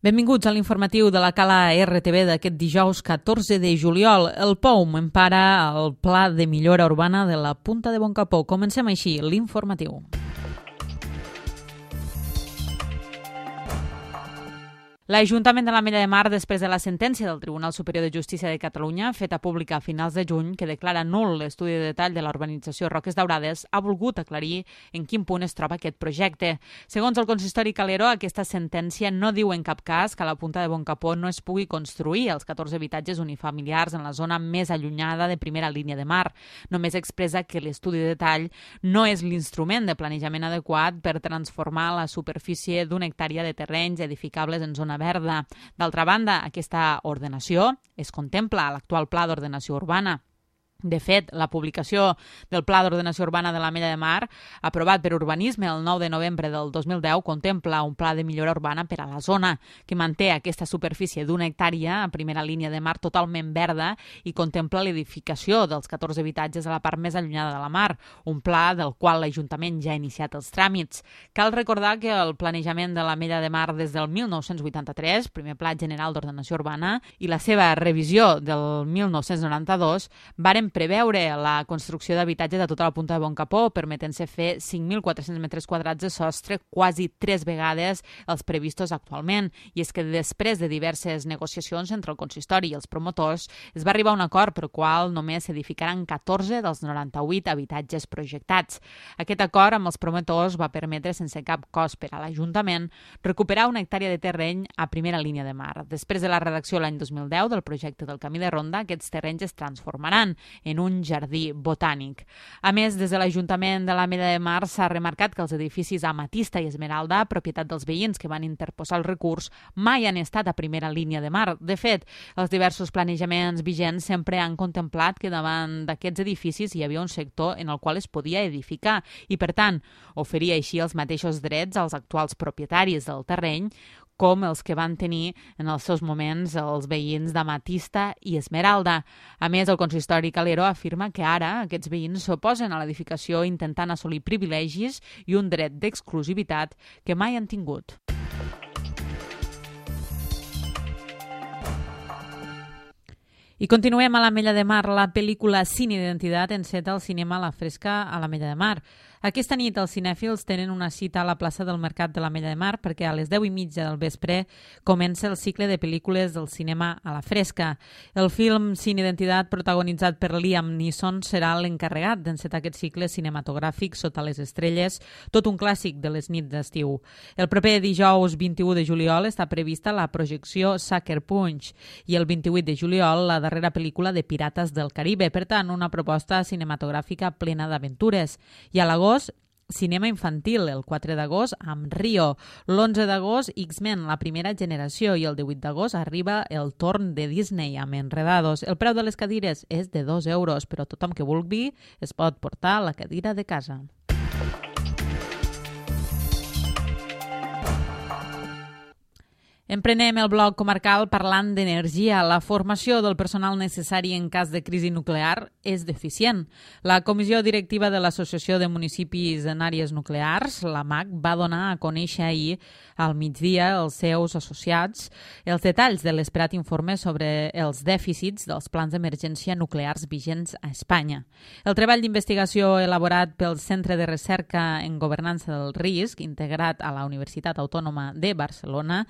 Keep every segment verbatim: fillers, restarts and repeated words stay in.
Benvinguts a l'informatiu de la Cala R T V d'aquest dijous catorze de juliol. El P O M empara el Pla de Millora Urbana de la Punta de Boncapó. Comencem així l'informatiu. L'Ajuntament de l'Ametlla de Mar, després de la sentència del Tribunal Superior de Justícia de Catalunya, feta pública a finals de juny, que declara nul l'estudi de detall de la urbanització Roques Daurades, ha volgut aclarir en quin punt es troba aquest projecte. Segons el consistori Calero, aquesta sentència no diu en cap cas que a la Punta de Boncapó no es pugui construir els catorze habitatges unifamiliars en la zona més allunyada de primera línia de mar. Només expressa que l'estudi de detall no és l'instrument de planejament adequat per transformar la superfície d'una hectàrea de terrenys edificables en zona verda. D'altra banda, aquesta ordenació es contempla a l'actual Pla d'Ordenació Urbana. De fet, la publicació del Pla d'Ordenació Urbana de l'Ametlla de Mar, aprovat per Urbanisme el nou de novembre del dos mil deu, contempla un pla de millora urbana per a la zona, que manté aquesta superfície d'una hectàrea a primera línia de mar totalment verda i contempla l'edificació dels catorze habitatges a la part més allunyada de la mar, un pla del qual l'Ajuntament ja ha iniciat els tràmits. Cal recordar que el planejament de l'Ametlla de Mar des del mil nou-cents vuitanta-tres, primer Pla General d'Ordenació Urbana, i la seva revisió del mil nou-cents noranta-dos, varen preveure la construcció d'habitatges a tota la Punta de Boncapó, permetent-se fer cinc mil quatre-cents metres quadrats de sostre, quasi tres vegades els previstos actualment. I és que després de diverses negociacions entre el consistori i els promotors, es va arribar a un acord per qual només s'edificaran catorze dels noranta-vuit habitatges projectats. Aquest acord amb els promotors va permetre, sense cap cost per a l'Ajuntament, recuperar una hectàrea de terreny a primera línia de mar. Després de la redacció l'any dos mil deu del projecte del Camí de Ronda, aquests terrenys es transformaran en un jardí botànic. A més, des de l'Ajuntament de l'Ametlla de Mar s'ha remarcat que els edificis Amatista i Esmeralda, propietat dels veïns que van interposar el recurs, mai han estat a primera línia de mar. De fet, els diversos planejaments vigents sempre han contemplat que davant d'aquests edificis hi havia un sector en el qual es podia edificar i, per tant, oferia així els mateixos drets als actuals propietaris del terreny com els que van tenir en els seus moments els veïns d'Amatista i Esmeralda. A més, el consistori Calero afirma que ara aquests veïns s'oposen a l'edificació intentant assolir privilegis i un dret d'exclusivitat que mai han tingut. I continuem a l'Ametlla de Mar. La pel·lícula Cine d'Identitat enceta el cinema a la fresca a l'Ametlla de Mar. Aquesta nit els cinèfils tenen una cita a la plaça del Mercat de l'Ametlla de Mar perquè a les deu i mitja del vespre comença el cicle de pel·lícules del cinema a la fresca. El film Cine d'Identitat, protagonitzat per Liam Neeson, serà l'encarregat d'encetar aquest cicle cinematogràfic sota les estrelles, tot un clàssic de les nits d'estiu. El proper dijous vint-i-u de juliol està prevista la projecció Sucker Punch i el vint-i-vuit de juliol la darrera pel·lícula de Pirates del Caribe, per tant, una proposta cinematogràfica plena d'aventures. I a l'agost, cinema infantil, el quatre d'agost amb Rio, l'onze d'agost X-Men, la primera generació, i el divuit d'agost arriba el torn de Disney amb Enredados. El preu de les cadires és de dos euros, però tothom que vulgui es pot portar la cadira de casa. Emprenem el bloc comarcal parlant d'energia. La formació del personal necessari en cas de crisi nuclear és deficient. La comissió directiva de l'Associació de Municipis en Àrees Nuclears, la M A C, va donar a conèixer ahir al migdia als seus associats els detalls de l'esperat informe sobre els dèficits dels plans d'emergència nuclears vigents a Espanya. El treball d'investigació elaborat pel Centre de Recerca en Governança del Risc, integrat a la Universitat Autònoma de Barcelona,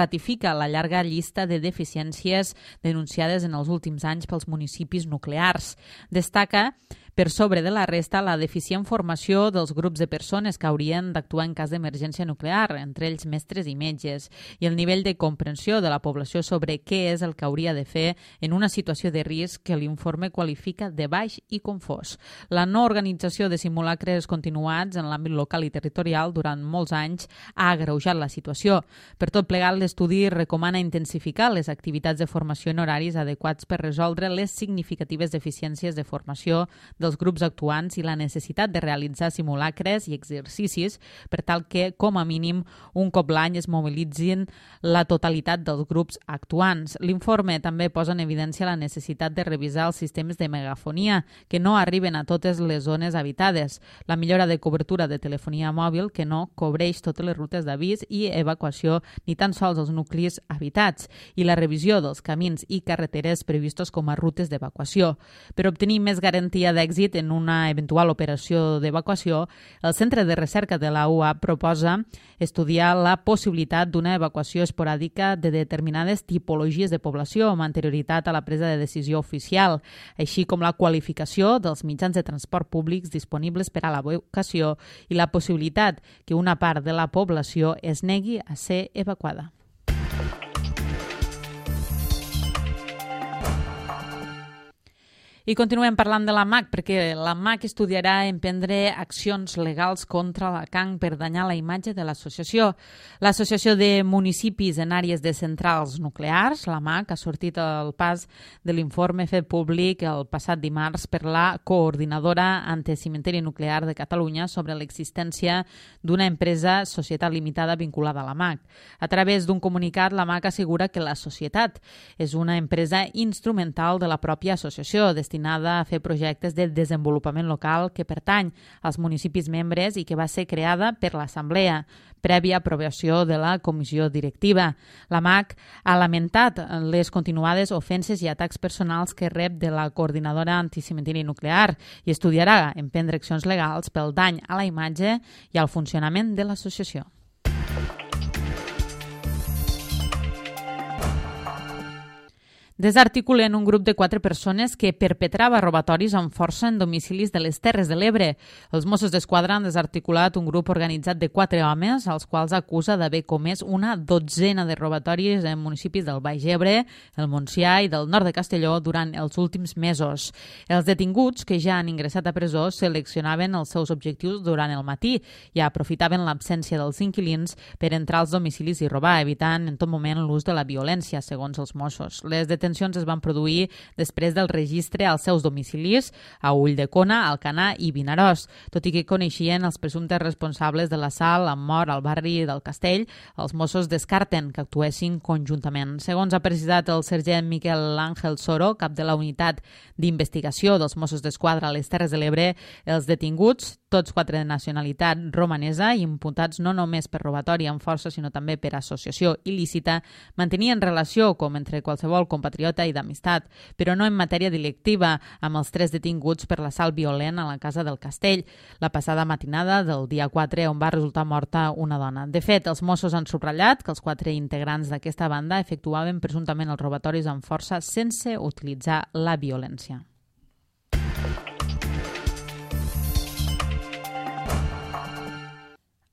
ratifica la llarga llista de deficiències denunciades en els últims anys pels municipis nuclears. Destaca per sobre de la resta la deficient formació dels grups de persones que haurien d'actuar en cas d'emergència nuclear, entre ells mestres i metges, i el nivell de comprensió de la població sobre què és el que hauria de fer en una situació de risc que l'informe qualifica de baix i confós. La no organització de simulacres continuats en l'àmbit local i territorial durant molts anys ha agreujat la situació. Per tot plegat, l'estudi recomana intensificar les activitats de formació en horaris adequats per resoldre les significatives deficiències de formació dels grups actuants i la necessitat de realitzar simulacres i exercicis per tal que, com a mínim, un cop l'any es mobilitzin la totalitat dels grups actuants. L'informe també posa en evidència la necessitat de revisar els sistemes de megafonia que no arriben a totes les zones habitades, la millora de cobertura de telefonia mòbil que no cobreix totes les rutes d'avís i evacuació ni tan sols els nuclis habitats i la revisió dels camins i carreteres previstos com a rutes d'evacuació. Per obtenir més garantia d'èxit en una eventual operació d'evacuació, el Centre de Recerca de la U A proposa estudiar la possibilitat d'una evacuació esporàdica de determinades tipologies de població amb anterioritat a la presa de decisió oficial, així com la qualificació dels mitjans de transport públics disponibles per a l'evacuació i la possibilitat que una part de la població es negui a ser evacuada. I continuem parlant de l'AMAC, perquè l'AMAC estudiarà emprendre accions legals contra Alacant per danyar la imatge de l'associació. L'Associació de Municipis en Àrees de Centrals Nuclears, l'AMAC, ha sortit al pas de l'informe fet públic el passat dimarts per la Coordinadora Anticimenteri Nuclear de Catalunya sobre l'existència d'una empresa societat limitada vinculada a l'AMAC. A través d'un comunicat, l'AMAC assegura que la societat és una empresa instrumental de la pròpia associació, destinada destinada a fer projectes de desenvolupament local que pertany als municipis membres i que va ser creada per l'Assemblea, prèvia aprovació de la comissió directiva. L'AMAC ha lamentat les continuades ofenses i atacs personals que rep de la Coordinadora Anticimenteri Nuclear i estudiarà emprendre accions legals pel dany a la imatge i al funcionament de l'associació. Desarticulen un grup de quatre persones que perpetrava robatoris amb força en domicilis de les Terres de l'Ebre. Els Mossos d'Esquadra han desarticulat un grup organitzat de quatre homes, als quals acusa d'haver comès una dotzena de robatoris en municipis del Baix Ebre, el Montsià i del nord de Castelló durant els últims mesos. Els detinguts, que ja han ingressat a presó, seleccionaven els seus objectius durant el matí i aprofitaven l'absència dels inquilins per entrar als domicilis i robar, evitant en tot moment l'ús de la violència, segons els Mossos. Les detencions detencions es van produir després del registre als seus domicilis a Ulldecona, Alcanar i Vinaròs. Tot i que coneixien els presumptes responsables de l'assalt amb mort al barri del Castell, els Mossos descarten que actuessin conjuntament. Segons ha precisat el sergent Miquel Àngel Soro, cap de la unitat d'investigació dels Mossos d'Esquadra a les Terres de l'Ebre, els detinguts, tots quatre de nacionalitat romanesa i imputats no només per robatori amb força, sinó també per associació il·lícita, mantenien relació com entre qualsevol compatriota i d'amistat, però no en matèria delictiva, amb els tres detinguts per l'assalt violent a la casa del Castell, la passada matinada del dia quatre, on va resultar morta una dona. De fet, els Mossos han subratllat que els quatre integrants d'aquesta banda efectuaven presumptament els robatoris amb força sense utilitzar la violència.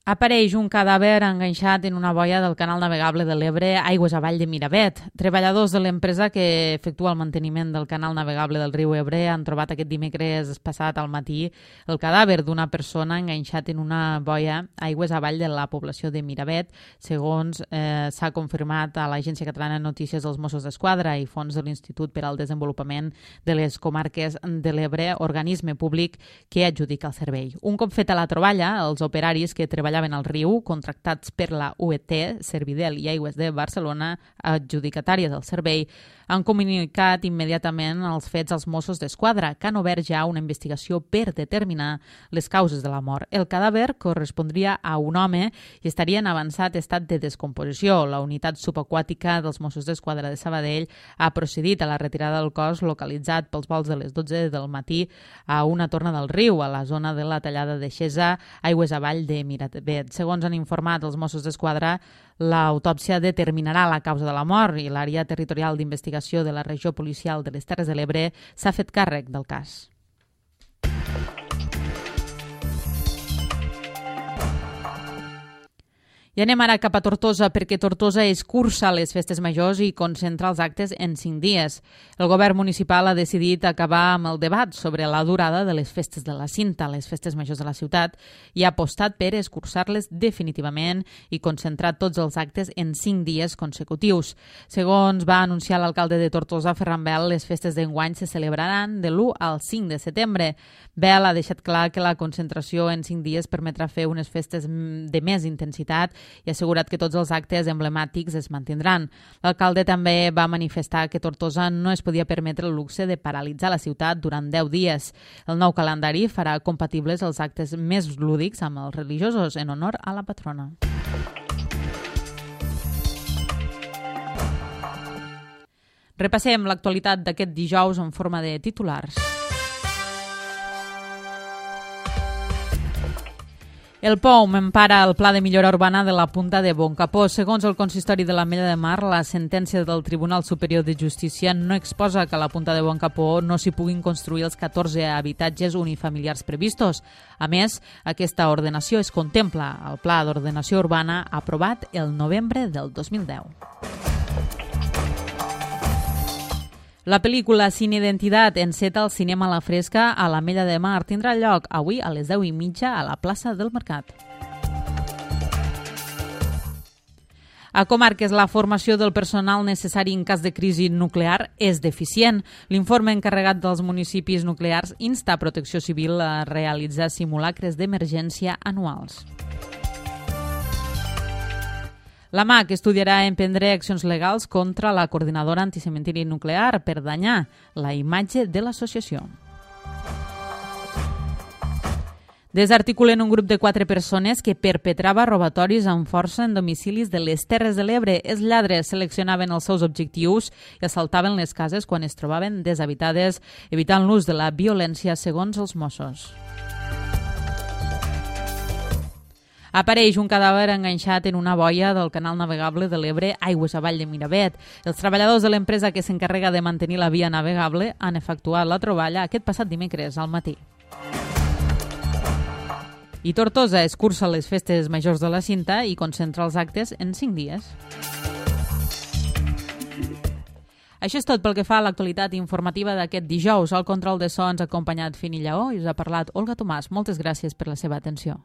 Apareix un cadàver enganxat en una boia del canal navegable de l'Ebre aigües avall de Miravet. Treballadors de l'empresa que efectua el manteniment del canal navegable del riu Ebre han trobat aquest dimecres passat al matí el cadàver d'una persona enganxat en una boia aigües avall de la població de Miravet, segons eh, s'ha confirmat a l'Agència Catalana de Notícies dels Mossos d'Esquadra i fons de l'Institut per al Desenvolupament de les Comarques de l'Ebre, organisme públic que adjudica el servei. Un cop feta la troballa, els operaris que treballaven al riu, contractats per la U E T, Servidel i Aigües de Barcelona, adjudicatària del servei, han comunicat immediatament els fets als Mossos d'Esquadra, que han obert ja una investigació per determinar les causes de la mort. El cadàver correspondria a un home i estaria en avançat estat de descomposició. La unitat subaquàtica dels Mossos d'Esquadra de Sabadell ha procedit a la retirada del cos localitzat pels vols de les dotze del matí a una torna del riu, a la zona de la tallada de Xesa, aigües avall de Miravet. Segons han informat els Mossos d'Esquadra, l'autòpsia determinarà la causa de la mort i l'àrea territorial d'investigació de la regió policial de les Terres de l'Ebre s'ha fet càrrec del cas. I anem ara cap a Tortosa, perquè Tortosa escurça les festes majors i concentra els actes en cinc dies. El govern municipal ha decidit acabar amb el debat sobre la durada de les festes de la Cinta, les festes majors de la ciutat, i ha apostat per escurçar-les definitivament i concentrar tots els actes en cinc dies consecutius. Segons va anunciar l'alcalde de Tortosa, Ferran Bel, les festes d'enguany se celebraran de l'u al cinc de setembre. Bel ha deixat clar que la concentració en cinc dies permetrà fer unes festes de més intensitat i ha assegurat que tots els actes emblemàtics es mantindran. L'alcalde també va manifestar que Tortosa no es podia permetre el luxe de paralitzar la ciutat durant deu dies. El nou calendari farà compatibles els actes més lúdics amb els religiosos en honor a la patrona. Repassem l'actualitat d'aquest dijous en forma de titulars. El P O M empara el Pla de Millora Urbana de la Punta de Boncapó. Segons el consistori de l'Ametlla de Mar, la sentència del Tribunal Superior de Justícia no exposa que a la Punta de Boncapó no s'hi puguin construir els catorze habitatges unifamiliars previstos. A més, aquesta ordenació es contempla al Pla d'Ordenació Urbana aprovat el novembre del dos mil deu. La pel·lícula Sin Identitat enceta al cinema a la fresca a l'Ametlla de Mar. Tindrà lloc avui a les deu i mitja a la plaça del Mercat. A Comarques, la formació del personal necessari en cas de crisi nuclear és deficient. L'informe encarregat dels municipis nuclears insta a Protecció Civil a realitzar simulacres d'emergència anuals. La M A C estudiarà emprendre accions legals contra la coordinadora anticementiri nuclear per danyar la imatge de l'associació. Desarticulen un grup de quatre persones que perpetrava robatoris amb força en domicilis de les Terres de l'Ebre. Els lladres seleccionaven els seus objectius i assaltaven les cases quan es trobaven deshabitades, evitant l'ús de la violència segons els Mossos. Apareix un cadàver enganxat en una boia del canal navegable de l'Ebre aigües avall de Miravet. Els treballadors de l'empresa que s'encarrega de mantenir la via navegable han efectuat la troballa aquest passat dimecres al matí. I Tortosa escurça les festes majors de la Cinta i concentra els actes en cinc dies. Això és tot pel que fa a l'actualitat informativa d'aquest dijous. Al control de so ens ha acompanyat Fini Lleó i us ha parlat Olga Tomàs. Moltes gràcies per la seva atenció.